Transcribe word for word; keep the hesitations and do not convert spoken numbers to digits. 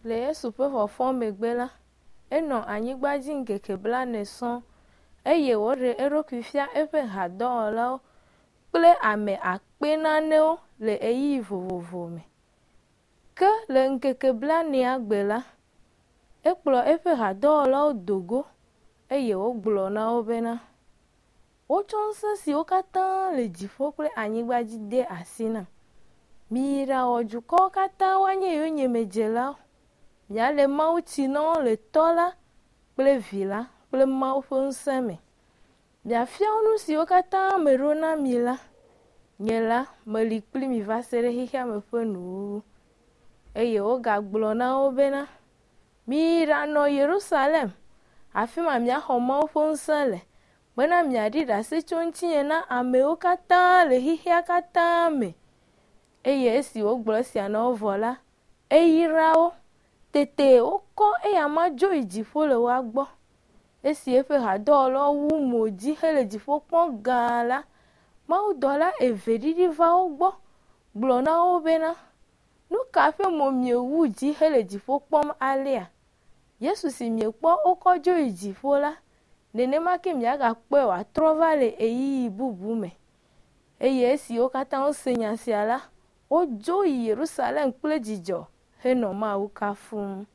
Le Yesu ƒe fɔfɔ megbe la, enɔ anyigba dzi ŋkeke blaene sɔŋ eye wòɖe eɖokui fia eƒe hadɔwɔlawo kple ame akpe nanewo le ɣeyiɣi vovovo me. Ke le ŋkeke blaenea gbe la, ekplɔ eƒe hadɔwɔlawo do go eye wògblɔ na wo bena, Wotsɔ ŋusẽ siwo katã le dziƒo kple anyigba dzi de asi nam. Miyi ɖawɔ dukɔwo katã woanye yonyemedzelawo. Miale mawutsi na wo le Tɔ́ la kple Vi la kple Mawu ƒe ŋusẽ me. Miafia wo nu siwo katã meɖo na mi la. Nye la, meli kpli mi va se ɖe xexea me ƒe nuwuwu. Eye wogagblɔ na wo bena, Miyi ɖanɔ Yerusalem, afi ma miaxɔ Mawu ƒe ŋusẽ le, bena miaɖi ɖase tso ŋutinye na amewo katã le xexea katã me. Eye esi wògblɔ esia na wo vɔ la, eyra wo. Tete wokɔ eyama dzo yi dziƒo le woa gbɔ. Esi eƒe hadɔwɔlawo wu mo dzi hele dziƒo kpɔm gãa la, mawudɔla eve ɖiɖi va wo gbɔ gblɔ na wo bena, Nu ka ƒe mo miewu dzi hele dziƒo kpɔm alea? Yesu si miekpɔ wokɔ dzo yi dziƒo la, nenema ke miagakpɔe wòatrɔ va le ɣeyiɣi bubu me. Eye esi wo katã wose nya sia la, wodzo yi Yerusalem kple dzidzɔ henɔ Mawu kafum.